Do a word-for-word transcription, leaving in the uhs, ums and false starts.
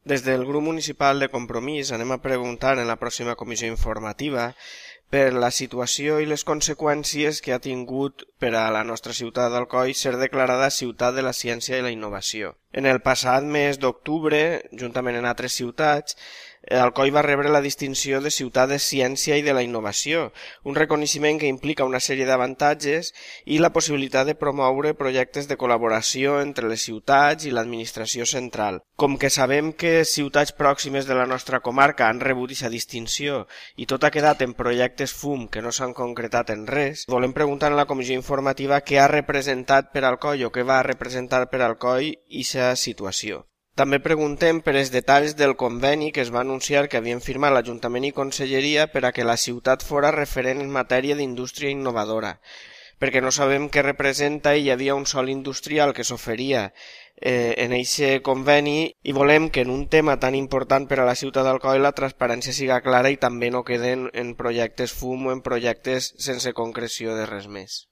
Des del grup municipal de Compromís anem a preguntar en la pròxima comissió informativa per la situació i les conseqüències que ha tingut per a la nostra ciutat d'Alcoi ser declarada ciutat de la ciència i la innovació. En el passat mes d'octubre, juntament amb altres ciutats, Alcoi va rebre la distinció de ciutat de ciència i de la innovació, un reconeixement que implica una sèrie d'avantatges i la possibilitat de promoure projectes de col·laboració entre les ciutats i l'administració central. Com que sabem que ciutats pròximes de la nostra comarca han rebut aquesta distinció i tot ha quedat en projectes fum que no s'han concretat en res, volem preguntar en la comissió informativa què ha representat per Alcoi o què va representar per Alcoi aquesta situació. També preguntem per els detalls del conveni que es va anunciar que havien firmat l'Ajuntament i Conselleria per a que la ciutat fora referent en matèria d'indústria innovadora, perquè no sabem què representa i hi havia un sòl industrial que s'oferia eh, en aquest conveni i volem que en un tema tan important per a la ciutat d'Alcoi la transparència siga clara i també no queden en projectes fum o en projectes sense concreció de res més.